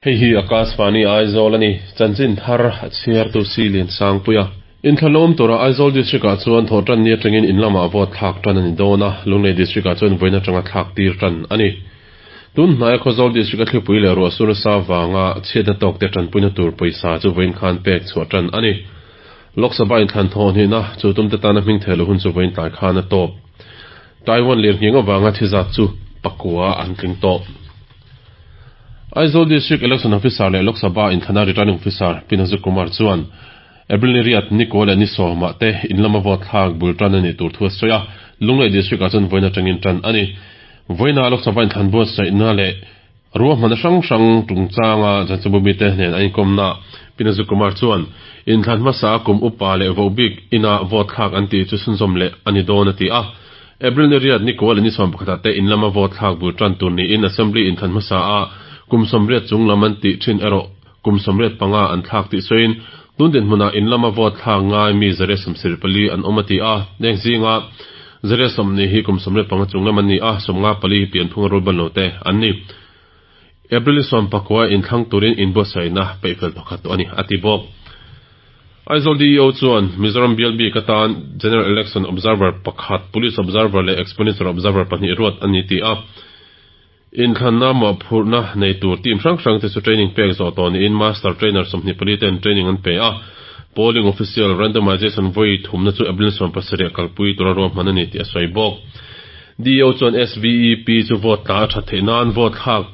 Hei hi Akashvani Aizawl a ni. Chanchin thar a chhiartu si Liansangpuia. Inthlanawm tura Aizawl District-ah chuan thawhtanni atangin in lamah vote thlak tan a ni dawn a, Lunglei District-ah chuan vawiin atanga thlak tir tan a ni. Tun hnaia Khawzawl District-a thlipui leh ruah sur nasa vanga chhiatna tawkte tanpuina tur pawisa chu vawiin khan pek chhuah tan a ni. Lok Sabha inthlan thawh hnihna chu tumte tana hming thei lo hun chu vawiin tlai khan a tawp. Taiwan lirnghing avanga thi zat chu pakua an tling tawh. Aizawl District Election Officer leh Lok Sabha inthlana Returning Officer Pi Nazu Kumar chuan April ni riat ni kaw leh ni sawmah te in lama vote thlak bul tan a nih tur thu a sawi a, Lunglei District ah chuan vawiin atangin tan a ni. Vawiina Lok Sabha inthlan buatsaihna leh ruahmanna hrang hrang chungchanga Chanchinbu mite nen an inkawmna Pi Nazu Kumar chuan inthlan hmasa a kum upa leh vohbik ina vote thlak an tih chu chhunzawm leh a ni dawn a ti a. April ni riat ni kaw leh ni 11 ah te in lama vote thlak bul tan tur niin Assembly inthlan hmasa a kum 80 chung lam an tih thin erawh kum 85 an thlak tih sawiin tun dinhmunah in lama vote thlak ngai mi 174 an awm a ti a. Heng zinga 120 hi kum 85 chung lam an ni a, 54 hi pianphunga rulban lo te an ni. April ni 19 inthlang turin inbuatsaihna peihfel pakhat tawh a ni, a ti bawk. Aizawl DEO chuan Mizoram bial bik atan General Election Observer pakhat, Police Observer leh Expenditure Observer pahnih ruat a ni ti a. Inthlanna mawhphurhna nei tur team hrang hrang te chu training pek zawh tawh niin Master Trainer 24 ten training an pe a. Polling Official Randomization vawi thumna chu April 17 kalpui tura ruahman a ni tih a sawi bawk. DEO chuan SVEP chu vote tla a that theih nan vote thlak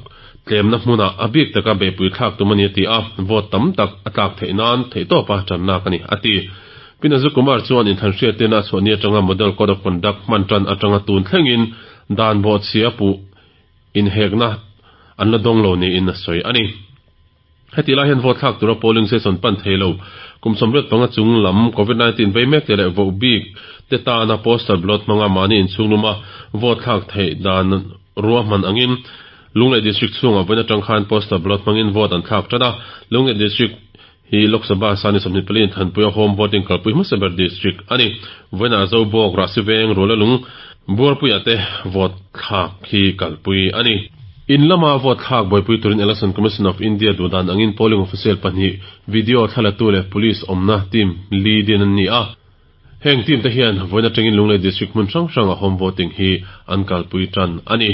tlemna hmunah a bik taka beihpui thlak tum a ni a ti a, vote tam tak a tlak theih nan theihtawpa tanlak a ni, a ti. Pi Nazu Kumar chuan inthlan hriattirna a chhuah ni atanga Model Code of Conduct hman tan atanga tun thlengin dan bawhchhia puh inhekna an la dawng lo niin a sawi a ni. Heti lai hian vote thlak tura polling station pan thei lo kum 85 chung lam Covid 19 vei mek te leh voh bik te tana postal ballot hmanga mahni inchhung luma vote thlak theih dan ruahman angin Lunglei District chhungah vawiin atang khan postal ballot hmangin vote an thlak tan a. Lunglei District hi Lok Sabha sani 24 in thanpuia home voting kalpui hmasa ber district a ni. Vawiinah Zobawk, Rahsiveng, Rualalung, Buarpuiah te vote thlak hi kalpui a ni. In lama vote thlak buaipui turin Election Commission of India duhdan angin polling official pahnih, video thlalatu leh police awmna team li din an ni a. Heng team te hian vawiin atangin Lunglei District hmun hrang hranga home voting hi an kalpui tan a ni.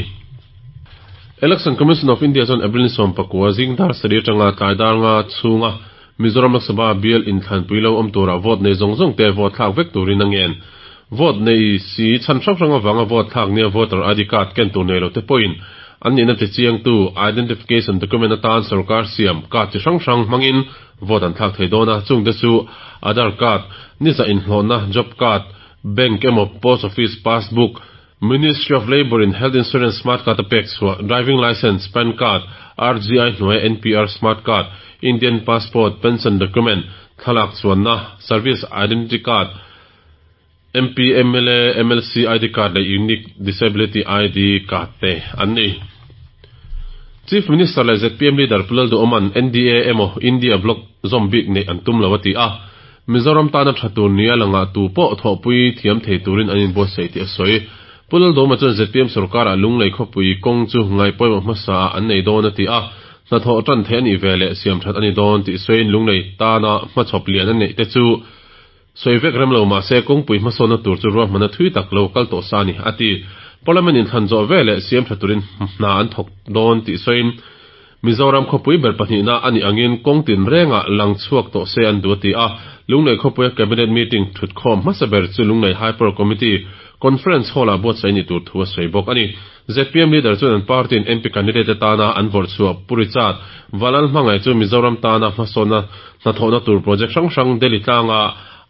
Election Commission of India chuan April ni 19 zing dar sarih atanga tlai dar nga chhunga Mizoram Lok Sabha bial inthlanpui lo awm tura vote nei zawng zawng te vote thlak vek turin a ngen. Vote nei si chhan hrang hrang avanga vote thlak nia voter ID card ken tur nei lo te pawhin an nihna ti chiangtu identification document atan sorkar siam card chi hrang hrang hmangin vote an thlak thei dawn a, chungte chu Aadhaar card, ni zah inhlawhna, job card, bank emaw post office passbook, Ministry of Labour in Health Insurance Smart Card a pek chhuah, Driving Licence, PAN Card, RGI hnuaia NPR Smart Card, Indian Passport, Pension Document, thlalak chuanna, Service Identity Card, MP, mla, mlc ID Card leh Unique Disability ID Card te an ni. Chief Minister leh zpm Leader Pu Lalduhawma'n NDA emaw India Bloc zawm bik neih an tum lo a ti a. Mizoram tana tha tur nia langah tu pawh thawhpui thiam thei turin an inbuatsaih tih a sawi. Pu Laldawma chuan zpm sorkarah Lunglei khawpui kawng chu ngaihpawimawh hmasaah an nei dawn a ti a, hnathawh tan theih a nih ve leh siam that a ni dawn tih sawiin Lunglei tana hmachhawp lian a neih te chu sawi vek rem lo mahse kawngpui hmasawnna tur chu ruahmanna thui tak lo kal tawh sa a ni a ti. Parliament inthlan zawh ve leh siam tha turin hna an thawk dawn tih sawiin Mizoram khawpui ber pahnihna a nih angin kawng tinrengah lang chhuak tawh se an duh a ti a. Lunglei khawpuia Cabinet meeting thutkhawm hmasa ber chu Lunglei High Power Committee Conference Hall-ah buatsaih ni tur thu a sawi bawk a ni. Zpm leader chuan an party-in MP candidate atana an vawrh chhuah Pu Richard Valal hmangaih chu Mizoram tana hmasawnna hnathawhna tur project hrang hrang Delhi tlanga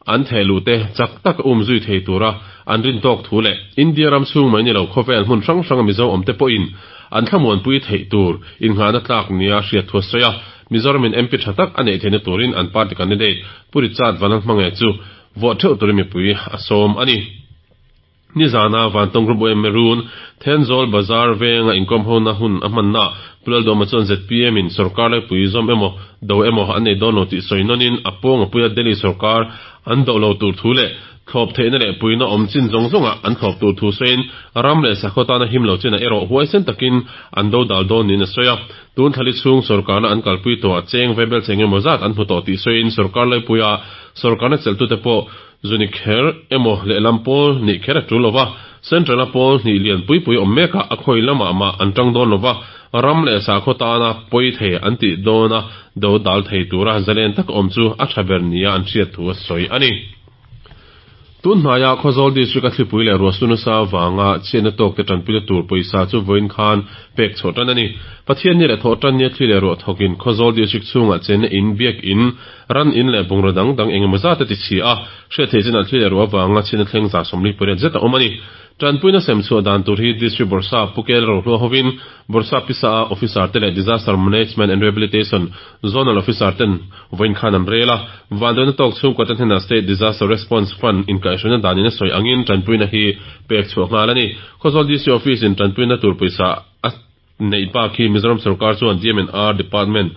an theh luh te chak tak um zui thei tura an rin tawk thu leh India ram chhung mai ni lo khawvel hmun hrang hranga Mizo awmte pawhin an thlamuanpui theih tur innghahna tlak nia hriat thu a sawi a. Mizoramin MP tha tak a neih theihna turin an party candidate Pu Richard Vanlalhmangaih chu vote theuh turin mipui a sawm a ni. Nizana Vantawng Group yma Run, Thenzawl Bazar venga inkawm hona hun a hmannaah Pu Lalduhawma chuan zpm in sorkar laipui zawm emaw do emaw an nei dawn lo tih sawi nawnin a pawng a puia Delhi sorkar an do lo tur thu leh thlawp theihna leh puina awm chin zawng zawngah an thlawp tur thu sawiin ram leh sakhaw tana him lo chinah erawh huaisen takin an do dal dawn niin a sawi a. Tun thlali chhung sorkarna an kalpui tawhah cheng vaibel cheng emaw zat an hmu tawh tih sawiin sorkar laipuia sorkarna chelhtute pawh Zu ni kher emaw lehlam pawl nih kher a tul lova, Central a pawl hnih lian pui pui awm mekah a khawi lamah mah an tang dawn lova, ram leh sakhaw tana pawi thei an tih dawna do dal thei tura zalen tak awm chu a tha ber nia an hriat thu a sawi a ni. Tun hnaia Khawzawl District a thlipui leh ruahsu nasa vanga chhiatna tawkte tanpuina tur pawisa chu vawiin khan pek chhuah tan a ni. Pathianni leh Thawhtannia thli leh ruah thawkin Khawzawl District chhungah chenna in, biak in, Ran in leh bungraw dang dang eng emaw zat a ti chhi a, hriat theih chinah thli leh ruah avanga chhin a thleng 48 zet a awm a ni. Tanpuina sem chhuah dan tur hi District Bawrhsap Pu Kel Rohlua hovin Bawrhsap Pisa a Officer te leh Disaster Management and Rehabilitation Zonal Officer ten vawiin khan an rel a, vanduaina tawk chhungkua te hnenah State Disaster Response Fund inkaihhruaina danin a sawi angin tanpuina hi pek chhuah nghal a ni. Khawzawl DC Office in tanpuina tur pawisa a Neih bak hi Mizoram sorkar chuan DMNR Department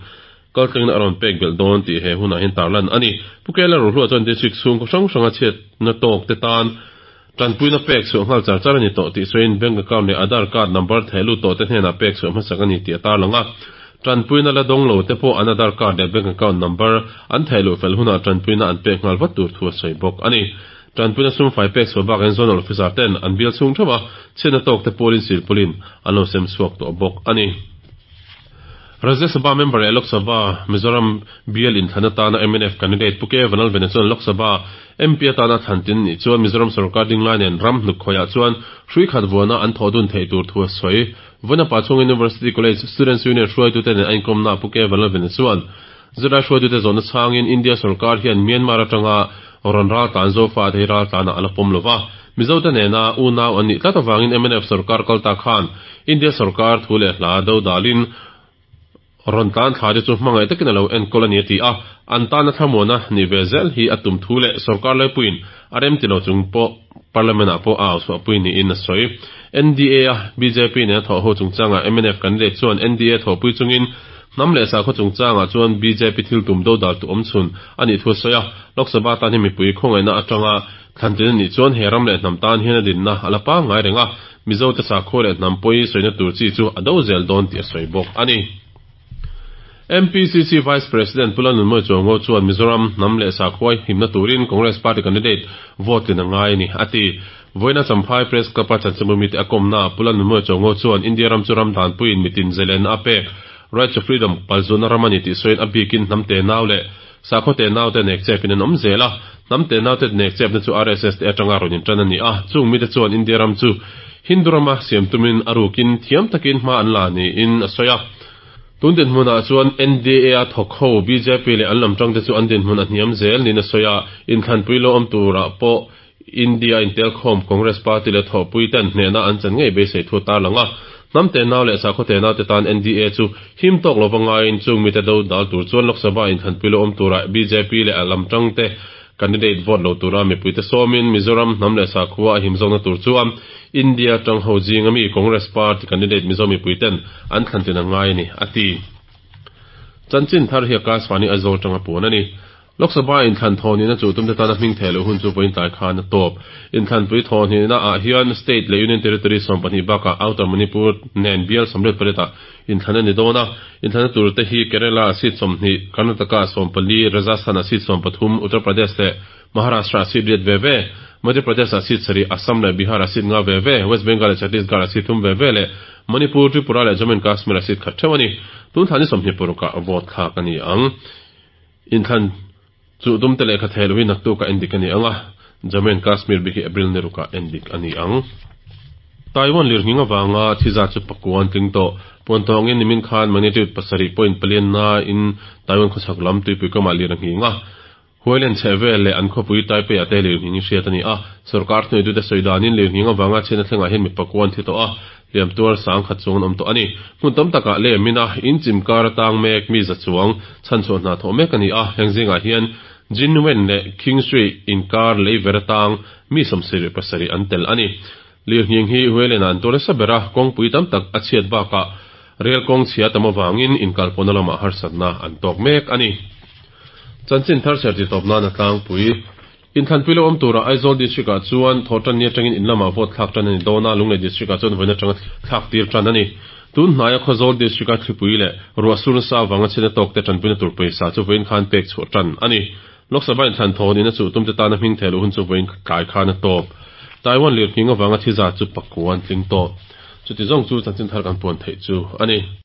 kaltlengna a rawn pek belh dawn tih he hunah hian tarlan a ni. Pu Kela Rohlua chuan District chhungkaw hrang hranga chhiatna tawk te tan tanpuina pek chhuah nghal char char a ni tawh tih sawiin Bank account leh Aadhaar card number theh lut tawh te hnenah pek chhuah hmasak a ni tih a tarlang a. Tanpuina la dawng lo te pawh an Aadhaar card leh Bank account number an theh luh fel hunah tanpuina an pek nghal vat tur thu a sawi bawk a ni. Tanpuina sumfai pek chhuah bakah Zonal Officer ten an bial chhung theuh a, chhiatna tawk te pawlin silpawlin an lo sem chhuak tawh bawk a ni. Rajya Sabha member leh Lok Sabha Mizoram bial inthlan atana mnf candidate Pu K Vanlalvena chuan Lok Sabha MP atana thlan tin nih chuan Mizoram sorkar dinglai nen ram hnuk khawiah chuan hrui khat vuana an thawh dun theih tur thu a sawi. Vawinapa chhung University College Students Union hruaitute nen a inkawmna Pu K Vanlalvena chuan Zirlai hruaitute zawhna chhangin India sorkar hian Myanmar atanga rawn raltlan Zofa te hi raltlanah a la pawm lo va. Mizote nena unau an nih tlat avangin mnf sorkar kal ta khan India sorkar thu leh hla do dalin rawn tlan thla te chu hmangaih takin a lo enkawl a ni a ti a. An tana thlamuana nih ve zel hi a tum thu leh sorkar laipuiin a remti lo chung pawh Parliament ah pawh a auchhuahpui niin a sawi. NDA a bjp nena thawh ho chungchangah mnf candidate chuan NDA thawhpui chungin hnam leh sakhaw chungchangah chuan bjp thil tum dodal tu awm chhun a nih thu a sawi a. Lok Sabha tan hi mipui khawngaihna atanga thlantin a nih chuan he ram leh hnam tan hian a dinna a la pangngai reng a, Mizote sakhua leh hnam pawi sawina tur chi chu a do zel dawn tih a sawi bawk a ni. MPCC Vice President Pu Lalnunmawi Chuango chuan Mizoram hnam leh sakhuai himna turin Congress Party candidate vote tlin a ngai a ni, a ti. Vawiina Champhai Press Club-a chanchinbu mite a kawmnaah Pu Lalnunmawi Chuango chuan India ram chu ram danpuiin mitin zeilenna a pek, Right to Freedom, palzutna ram a ni tih sawiin a bikin hnam tenau leh sakhaw tenaute nek chepin an awm zel a. Hnam tenaute nek chepna chu RSS te atanga rawn intan a ni a, chung mite chuan India ram chu Hindu rama siam tumin a rukin thiam takin hma an la niin a sawi a. Tun dinhmunah chuan NDA-a thawk ho bjp leh an lam tangte chu an dinhmun a hniam zel niin a sawi a, inthlanpui lo awm turah pawh India intelkhawm Congress party leh thawhpuiten hnehna an chan ngei beisei thu a tarlang a. Hnam tenau leh sakhaw tenau te tan NDA chu him tawk lova ngaiin chung mite do dal tur chuan Lok Sabha inthlanpui lo awm turah bjp leh a lam tangte Candidate vote lo tura mipuite sawmin Mizoram hnam leh sakhua a him zawkna tur chuan India tang ho zinga mi Congress party candidate Mizo mipuiten an thlantin a ngai a ni, a ti. Chanchin thar hi Akashvani Aizawl tanga puan a ni. Lok Sabha inthlan thawhnihna chu tumte tana hming theh loh hun chu vawiin tlai khan a tawp. Inthlanpui thawhnihna ah hian State leh Union Territory 12 bakah Outer Manipur nen bial 88 ah Inthlan a ni dawn a, inthlanna tur te hi Kerala ah seat 20, Karnataka ah 14, Rajasthan ah seat 13, Uttar Pradesh leh Maharashtra ah seat riat ve ve, Madhya Pradesh ah seat sarih, Assam leh Bihar ah seat nga ve ve, West Bengal leh Chhattisgarh ah seat thum ve ve leh Manipur, Tripura leh Jammu and Kashmir ah seat khat theuh a ni. Tun thla ni 26 ah vote thlak a ni ang. Inthlan chu tumte lehkha theh lohin naktuk ah endik a ni ang a, Jammu and Kashmir bik hi April ni ruk ah endik a ni ang. Taiwan lirnghing avanga thi zat chu pakua an tling tawh. Puan tawngin nimin khan magnitude pasarih point palian na in Taiwan khawchhak lam tuipui kamah lir a nghing a. Huailen chheh vel leh an khawpui Taipei ah te lirnghing hi hriat a ni a. Sorkar thuneitute sawi danin lirnghing avanga chhiatna thlengah hian mi pakua an thi tawh a. Hliam tuar sang khat chuang an awm tawh a ni. Hmun tam takah lem ina in chim kar atang mek mi za chuang chhanchhuah hna thawh mek a ni a, heng zingah hian Jinwen leh Qingshui inkar lei ver atang mi 77 an tel a ni. Lirnghing hi Hualien-ah an tuar nasa ber a, kawngpui tam tak a chhiat bakah rel kawng chhia tam avangin inkalpawhna lamah harsatna an tawk mek a ni. Chanchin thar chhiar titawp nan a tlangpui. Inthlanpui lo awm turah Aizawl District-ah chuan Thawhtanni atangin in lamah vote thlak tan a ni dawn a, Lunglei District-ah chuan vawiin atanga thlak tir tan a ni. Tun hnaia Khawzawl District-a thlipui leh ruah sur nasa avanga chhiatna tawkte tanpuina tur pawisa chu vawiin khan pek chhuah tan a ni. Lok Sabha inthlan thawn in a chuh tumte tana hming theh luh hun chu vawiin tlai khan a tawp. Taiwan lirnghing avanga thi zat chu pakua an tling tawh. Chuti zawng chu chanchin thar kan puan theih chu a ni.